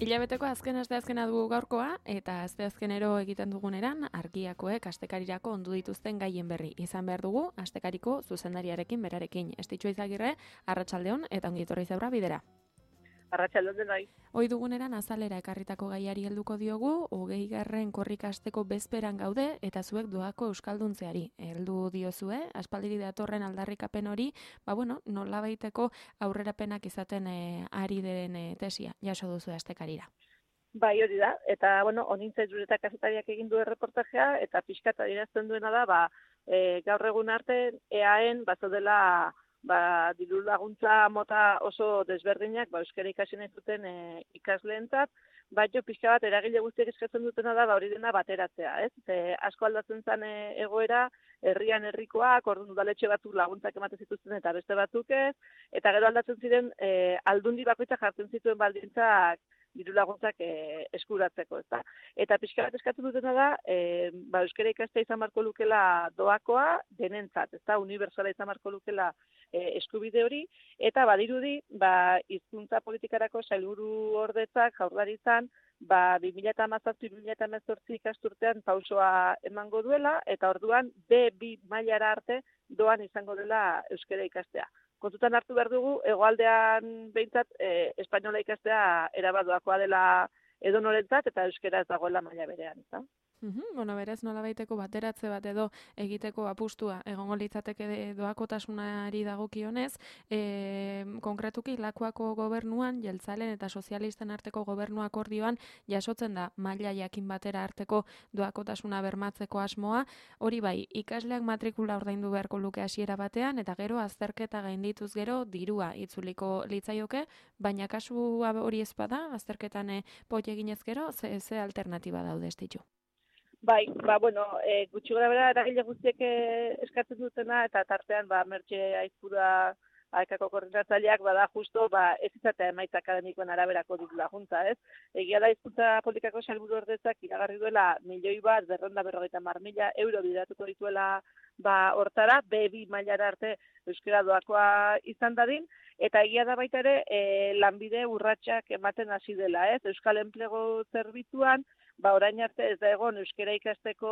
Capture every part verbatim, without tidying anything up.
Hilabeteko azken asteazkena dugu gaurkoa, eta asteazkenero egiten duguneran argiakoek astekarirako ondu dituzten gaien berri. Izan behar dugu, astekariko zuzendariarekin berarekin. Estitxo Izagirre, arratsaldeon eta ongi etorri zaura bidera. Arratsaldeon denoi. Ohi duguneran azalera ekarritako gaiari helduko diogu, hogeigarren korrikasteko bezperan gaude eta zuek doako euskalduntzeari. Heldu diozue, aspaldiri datorren aldarrikapen hori, ba bueno, nolabaiteko aurrerapenak izaten e, ari den e, tesia, jaso duzu astekarira. Bai, hori da, eta bueno, onintza jureta kazetariak egin du erreportajea, eta pixkat adierazten duena da, ba, e, gaur egun arte, eaen, bazodela, ba, diru laguntza mota oso desberdinak, ba, euskara ikasi nahi zuten e, ikasleentzat, baina pixka bat eragile guztiek eskatzen dutena da, ba, hori dena bateratzea, ez? E, asko aldatzen zen e, egoera, herrian herrikoak, orduan udaletxe batzuk laguntzak ematen zituzten eta beste batzuk ez, eta gero aldatzen ziren e, aldundi bakoitzak jartzen zituen baldintzak diru laguntzak e, eskuratzeko, ezta. Eta pixka bat eskatzen dutena da, e, ba, euskara ikastea izan marko lukela doakoa denentzat, ezta, unibertsala izan marko lukela e, eskubide hori, eta badirudi, ba, hizkuntza politikarako sailburu ordetzak jaurlaritzan, ba, bi mila hamazazpi bi mila hemezortzi ikasturtean pausoa emango duela, eta orduan be bi mailara arte doan izango dela euskara ikastea. Kontutan hartu behar dugu, hegoaldean behintzat, e, espainola ikastea erabadoakoa dela edonorentzat eta euskara ez dagoela maila berean, eta? Uhum, bueno, berez nolabaiteko bateratze bat edo egiteko apustua egongo litzateke doakotasunari dagokionez, e, konkretuki Lakuako gobernuan, jeltzalen eta sozialisten arteko gobernu akordioan jasotzen da maila jakin batera arteko doakotasuna bermatzeko asmoa, hori bai, ikasleak matrikula ordaindu beharko luke hasiera batean, eta gero azterketa gaindituz gero dirua itzuliko litzaioke, baina kasu hori ez bada, azterketan e, pot eginez gero, ze, ze alternatiba daude estitxu? Bai, ba, bueno, e, gutxi gara bera eragile guztiek eskatzen dutena, eta tartean, ba, Mertxe Aizpura Aekako koordinatzaileak, bada justo, ba, ez izatea emaitza akademikoen araberako diru laguntza, ez? Egia da hizkuntza politikako sailburu ordetzak iragarri duela milioi bat, berrehun eta berrogeita hamar mila euro bideratuko dituela, ba, hortara, be bi mailara arte euskara doakoa izan dadin, eta egia da baita ere, e, lanbide urratsak ematen hasi dela, ez? Euskal Enplegu Zerbitzuan, ba, orain arte ez da egon euskara ikasteko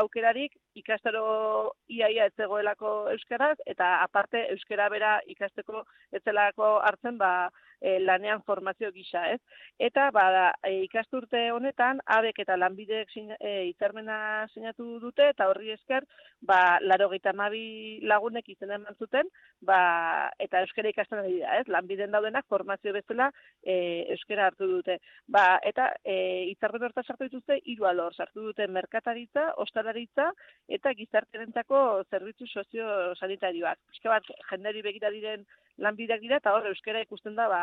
aukerarik, ikastaro iaia ez zegoelako euskaraz, eta aparte euskara bera ikasteko ez zelako hartzen, ba, e, lanean formazio gisa, ez? Eta, ba, e, ikasturte honetan, abek eta lanbideek e, hitzarmena sinatu dute, eta horri esker, ba, laurogeita hamabi lagunek izena eman zuten, ba, eta euskara ikasten ari da, ez? Lanbiden daudenak formazio bezala e, euskara hartu dute. Ba, eta e, hitzarmen horta sartu dituzte hiru alor, sartu dute merkataritza, ostalaritza eta gizartearentzako zerbitzu sozio-sanitarioak. Pixka bat jenderi begira diren lanbideak dira eta hor euskara ikusten da ba,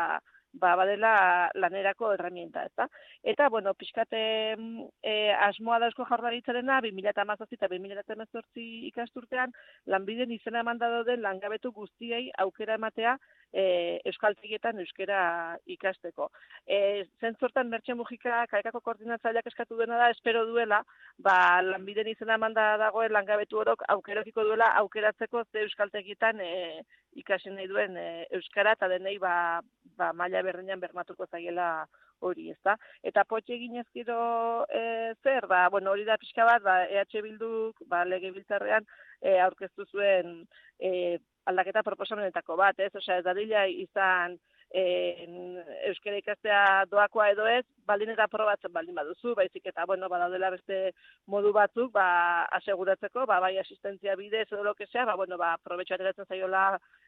ba badela lanerako herramienta, ezta? Eta bueno, pixkate e, asmoa da Eusko Jaurlaritzarena bi mila hamazazpi eta bi mila hemezortzi ikasturtean lanbiden izena emanda dauden langabetu guztiei aukera ematea e, euskaltegietan euskara ikasteko. E, zentzortan Mertxe Mujika Aekako koordinatzaileak eskatu duena da, espero duela, ba, lanbiden izena emanda dagoen langabetu orok aukerokiko duela aukeratzeko ze euskaltegietan e, ikasi nahi duen e, euskara eta denei ba, ba, maila berdinean bermatuko zaiela hori, ezta? Eta potxe eginez gero e, zer, ba, bueno, hori da pixka bat, ba, E H Bilduk ba, legebiltzarrean e, aurkeztu zuen e, aldaketa proposamenetako bat, ez? Osea, ez dadila izan e, euskara ikastea doakoa edo ez, baldin eta probatzen baldin baduzu, baizik eta, bueno, badaudela beste modu batzuk, ba, aseguratzeko, ba, bai asistentzia bidez edo lokesea, ba, bueno, ba, probetxo ateratzen zaiola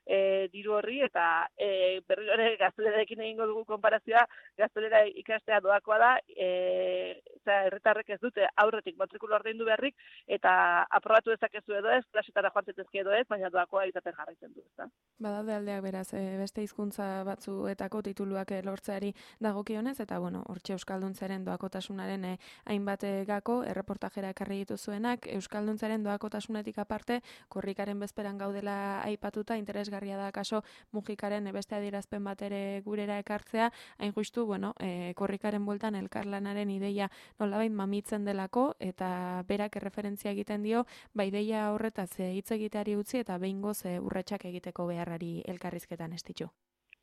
e, diru horri, eta e, berri hori gaztelerarekin egingo dugu konparazioa, gaztelera ikastea doakoa da, e, eta herritarrek ez dute aurretik matrikula ordaindu beharrik, eta aprobatu dezakezu edo ez, klasetara joan zitezke edo ez, baina doakoa izaten jarraitzen du, ezta? Badaude aldeak beraz, e, beste hizkuntza batzuetako tituluak lortzeari dagokionez, eta bueno, hortxe Euskalduntzaren doakotasunaren e, hainbat gako erreportajera ekarri dituzuenak, Euskalduntzaren doakotasunetik aparte, korrikaren bezperan gaudela aipatuta, interesgarria da kaso Mujikaren beste adierazpen bat ere gurera ekartzea, hain justu, bueno, e, korrikaren bueltan elkarlanaren ideia nolabait mamitzen delako, eta berak erreferentzia egiten dio, ba ideia horretaz hitz egiteari utzi eta behingoz e, urratsak egiteko beharrari elkarrizketan estitxu.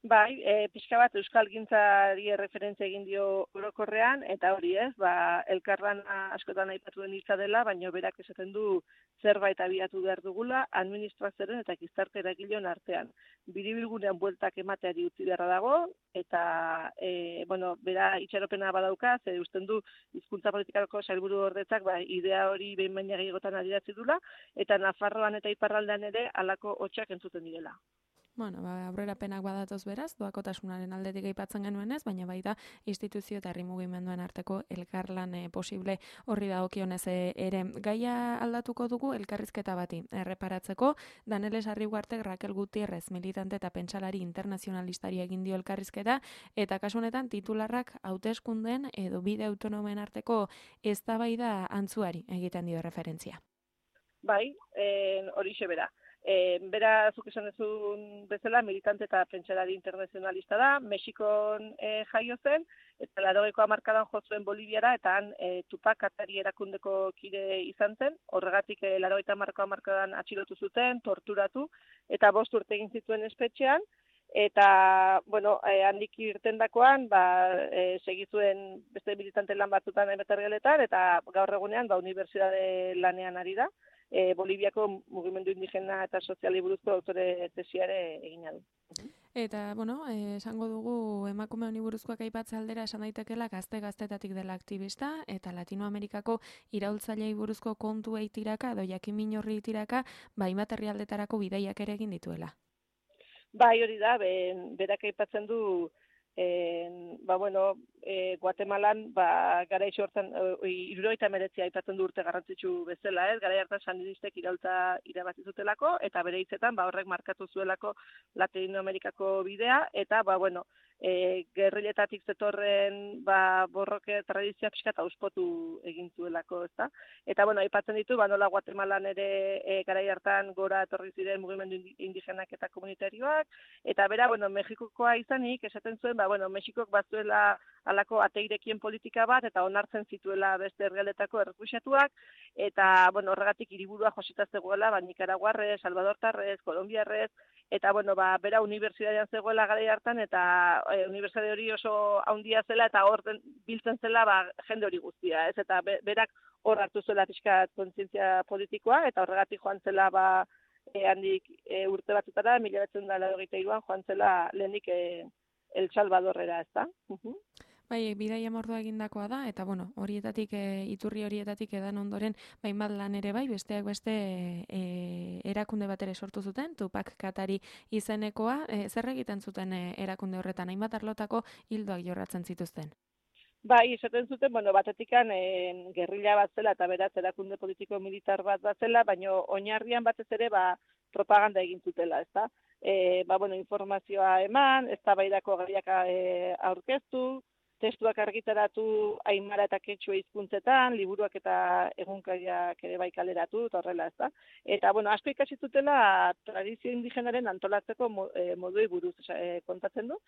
Bai, e, pixka bat euskalgintzari erreferentzia egin dio orokorrean, eta hori ez, ba, elkarlana askotan aipatuen hitza dela, baina berak esaten du zerbait abiatu behar dugula, administrazioaren eta gizarte eragileon artean. Biribilgunean bueltak emateari utzi beharra dago, eta, e, bueno, bera itxaropena badauka, ze usten du hizkuntza politikako sailburu ordetzak, ba, idea hori behin baina gehiagotan adierazi dula, eta Nafarroan eta Iparraldean ere halako hotsak entzuten direla. Bueno, ba, aurrerapenak badatoz beraz, doakotasunaren aldetik aipatzen genuenez, baina baita instituzio eta herri mugimenduen arteko elkarlan e, posible horri dagokionez e, ere. Gaia aldatuko dugu elkarrizketa bati. Erreparatzeko, Daneles Arriguartek Raquel Gutierrez, militante eta pentsalari internazionalistari egin dio elkarrizketa, eta kasu honetan titularrak hauteskundeen edo bide autonomen arteko eztabaida antzuari egiten dio referentzia. Bai, horixe bera. E, bera, zuk esan ezun bezala, militante eta pentsalari internazionalista da, Mexikon e, jaio zen, eta laurogeiko hamarkadan jo zuen Boliviara, eta han e, Tupac Katari erakundeko kide izan zen, horregatik e, laurogeita hamarko hamarkadan atxilotu zuten, torturatu, eta bost urte egin zituen espetxean, eta, bueno, e, handik irtendakoan, ba, e, segizuen beste militante lan batzutan emetargeletan, eta gaur egunean, ba, unibertsitate lanean ari da. E, Boliviako mugimendu indigena eta soziali buruzko autore tesiare egina du. Eta, bueno, eh, esango dugu emakume honi buruzkoak aipatze aldera esan daitekela gazte-gaztetatik dela aktivista, eta Latinoamerikako iraultzailei buruzko kontuei tiraka, edo jakin horri tiraka, ba, hainbat herrialdetarako bidaiak ere egin dituela. Bai, hori da, ben, berak aipatzen du, En, ba, bueno, e, Guatemalan, ba, gara iso hortan, hirurogeita hemeretzi aipatzen du urte garrantzitsu bezala, ez? Gara hartan sandinistek iraultza irabazi zutelako, eta bere hitzetan, ba, horrek markatu zuelako Latinoamerikako bidea, eta, ba, bueno, e, gerriletatik zetorren, ba, borroke tradizioa pixka eta auspotu egin zuelako, ezta? Eta, bueno, aipatzen ditu, ba, nola Guatemalan ere e, garai hartan gora etorri ziren mugimendu indigenak eta komunitarioak, eta bera, bueno, Mexikokoa izanik, esaten zuen, ba, bueno, Mexikok bazuela halako ateirekien politika bat, eta onartzen zituela beste herrialdetako errefuxiatuak, eta, bueno, horregatik hiriburua josita zegoela, ba, Nikaraguarrez, Salvadortarrez, Kolombiarrez, eta, bueno, ba, bera unibertsitatean zegoela garai hartan, eta e, unibertsitate hori oso handia zela, eta hor biltzen zela, ba, jende hori guztia, ez? Eta be, berak hor hartu zuela pixka kontzientzia politikoa, eta horregatik joan zela, ba, e, handik e, urte batzutara, mila bederatziehun eta laurogeita hiruan joan zela lehenik e, El Salvadorrera, ez da? Uh-huh. Bai, bidaia mordua egindakoa da, eta bueno, horietatik, e, iturri horietatik edan ondoren, bain bat lan ere bai, besteak beste e, erakunde bat ere sortu zuten, Tupac Katari izenekoa, e, zer egiten zuten e, erakunde horretan, hainbat arlotako hildoak jorratzen zituzten? Bai, esaten zuten, bueno, batetikan e, gerrilla bat zela, eta beraz erakunde politiko militar bat bat zela, baina oinarrian batez ere, ba, propaganda egin zutela, ez da? E, ba, bueno, informazioa eman, eztabaidako gaiak e, aurkeztu, testuak argitaratu aimara eta ketxua hizkuntzetan, liburuak eta egunkariak ere bai kaleratu, eta horrela, ez da. Eta, bueno, asko ikasi zutela tradizio indigenaren antolatzeko moduei buruz e, kontatzen du.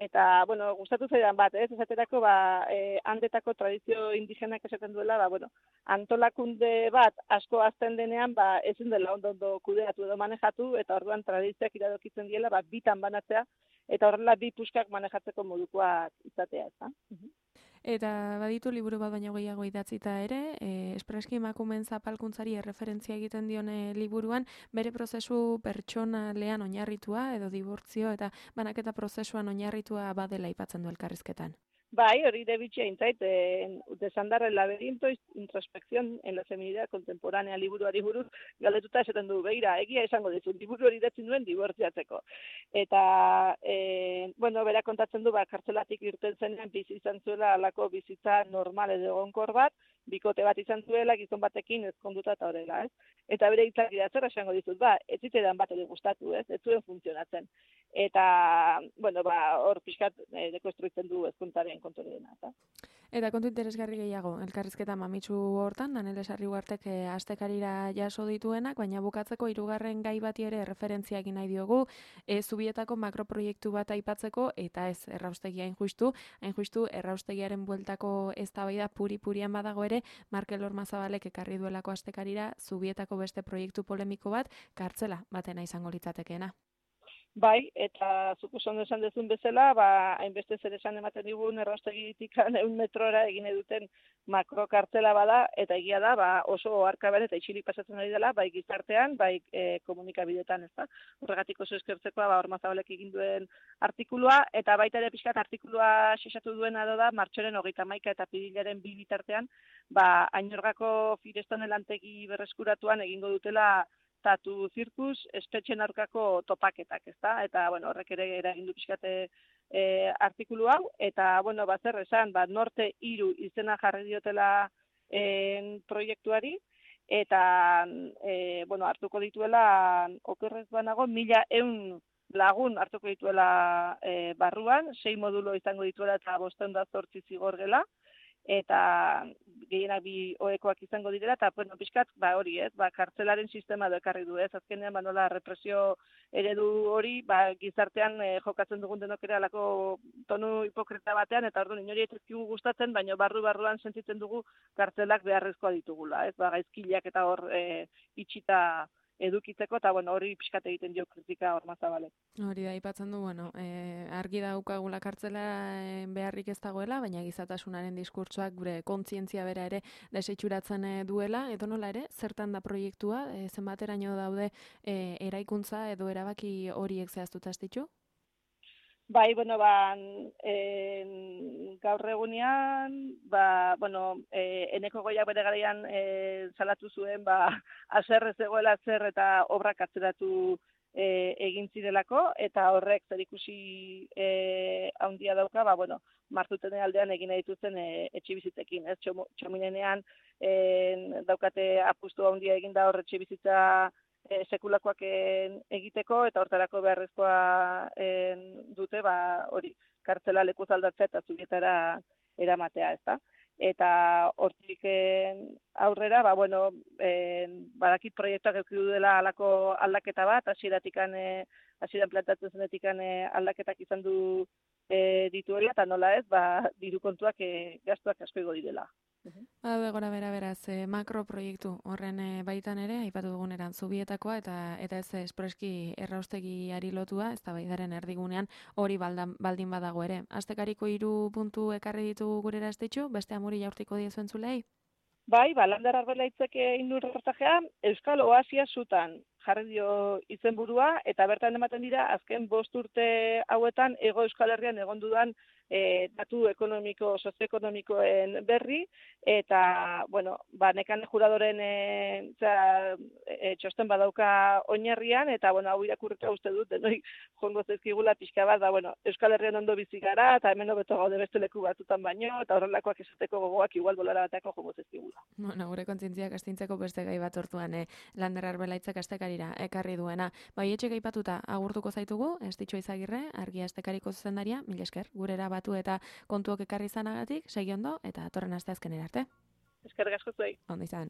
Eta, bueno, gustatu zaidan bat, ez? Esaterako, ba, e, handetako tradizio indigenak esaten duela, ba, bueno, antolakunde bat asko azten denean, ba, ezin dela ondo ondo kudeatu edo manejatu, eta orduan tradizioak iradokitzen diela, ba, bitan banatzea, eta horrela bi puskak manejatzeko modukoak izatea, ez da? Eta baditu liburu bat baino gehiago idatzita ere, e, espreski emakumeen zapalkuntzari erreferentzia egiten dione liburuan, bere prozesu pertsonalean oinarritua edo dibortzio eta banaketa prozesuan oinarritua badela aipatzen du elkarrizketan. Bai, hori debitxea intzait, eh, desandar el laberinto, introspección en la feminidad contemporánea liburuari buruz, galdetuta esaten du, beira, egia esango dizu, liburu hori idatzen duen dibortziatzeko. Eta, eh, bueno, bera kontatzen du, ba, kartzelatik irten zenean bizi izan zuela alako bizitza normal edo egonkor bat, bikote bat izan zuela, gizon batekin ezkonduta eta horrela, ez? Eta bere hitzak dira zer esango dizut, ba, ez zitedan bat ere gustatu, ez? Ez zuen funtzionatzen. Eta, bueno, ba, hor pixkat eh, dekonstruitzen du ezkuntaren kontu dena, eta. Eta kontu interesgarri gehiago, elkarrizketa mamitsu hortan, Daneles Arriguartek e, astekarira jaso dituenak, baina bukatzeko hirugarren gai bati ere referentzia egin nahi diogu, e, Zubietako makroproiektu bat aipatzeko, eta ez erraustegia hain justu, hain justu erraustegiaren bueltako eztabaida puri-purian badago ere, Markel Ormazabalek ekarri duelako astekarira Zubietako beste proiektu polemiko bat, kartzela batena izango litzatekeena. Bai, eta zuk oso ondo esan duzun bezala, ba, hainbeste zer esan ematen digun erraustegitik ehun metrora egin duten makrokartela bada, eta egia da, ba, oso oharkabean eta isilik pasatzen ari dela, bai gizartean, bai e, komunikabideetan, ez da. Horregatik oso eskertzekoa, ba, Ormazabalek egin duen artikulua, eta baita ere pixkat artikulua xexatu duena da, martxoren hogeita hamaika eta pirilaren bi bitartean, ba, Ainorgako Firestone lantegi berreskuratuan egingo dutela tatu zirkus espetxen aurkako topaketak, ezta? Eta, bueno, horrek ere eragin du pixkate e, artikulu hau, eta, bueno, bazer esan, ba, Norte hiru izena jarri diotela e, proiektuari, eta, e, bueno, hartuko dituela, okerrez banago, mila eun lagun hartuko dituela e, barruan, sei modulo izango dituela eta bosteun da zortzi zigor gela, eta gehienak bi oekoak izango direla, eta bueno, pixkat, ba hori, ez, ba, kartzelaren sistema edo ekarri du, ez, azkenean, ba, nola, represio eredu hori, ba, gizartean eh, jokatzen dugun denok ere alako tonu hipokrita batean, eta orduan inori ez gustatzen, baina barru-barruan sentitzen dugu kartzelak beharrezkoa ditugula, ez, ba, gaizkileak eta hor e, itxita edukitzeko, eta bueno, hori pixkat egiten dio kritika Ormazabalek. Hori da, aipatzen du, bueno, e, argi daukagula kartzela e, beharrik ez dagoela, baina gizatasunaren diskurtsoak gure kontzientzia bera ere desitxuratzen e, duela, edo nola ere, zertan da proiektua, e, zenbateraino daude e, eraikuntza edo erabaki horiek zehaztuta ez ditu? Bai, bueno, ba, e, gaur egunean, ba, bueno, e, Eneko Goiak bere garaian e, salatu zuen, ba, azer ez egoela zer eta obrak atzeratu e, egin zirelako, eta horrek zerikusi e, handia dauka, ba, bueno, Martutene aldean egin dituzten e, etxebizitzekin, ez, Txominenean e, daukate apustu handia egin da hor etxebizitza E, sekulakoak en, egiteko, eta hortarako beharrezkoa en, dute, ba, hori, kartzela lekuz aldatzea eta zubietara eramatea, ezta? Eta hortik aurrera, ba, bueno, en, badakit proiektuak eduki dela halako aldaketa bat, hasieratikan e, hasieran plantatzen zenetikan e, aldaketak izan du e, dituela, eta nola ez, ba, diru kontuak e, gastuak asko igo direla. Bada gora bera beraz, eh, makroproiektu horren eh, baitan ere, aipatu duguneran zubietakoa, eta eta ez espreski erraustegiari lotua, ez da baidaren erdigunean hori baldan, baldin badago ere. Astekariko hiru puntu ekarri ditu gurera ez ditxu, beste amuri jaurtiko diezuen zulei? Bai, ba, Lander Arbelaitzek egin du reportajea, Euskal Oasia zutan jarri dio izenburua, eta bertan ematen dira, azken bost urte hauetan, Ego Euskal Herrian egon dudan E, datu ekonomiko, sozioekonomikoen berri, eta, bueno, ba, nekane juradoren e, zera, e, txosten badauka oinarrian, eta, bueno, hau irakurrika uste dut, denoi jongo zezkigula pixka bat, ba, bueno, Euskal Herrian ondo bizi gara, eta hemen hobeto gaude beste leku batzutan baino, eta horrelakoak esateko gogoak igual bolara bateako jongo zezkigula. Bueno, gure kontzientziak astintzeko beste gai bat hortuan, eh, Lander Arbelaitzak astekarira ekarri duena. Bai, etxek aipatuta agurtuko zaitugu, ez ditxo Izagirre, argia astekariko zuzendaria, mil esker, gurera batu eta kontuok ekarri izanagatik, segi ondo, eta atorren aste azkenera arte. Eskerrik asko zuei. Ondo izan.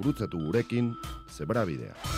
Gurutzatu gurekin, Zebrabidea.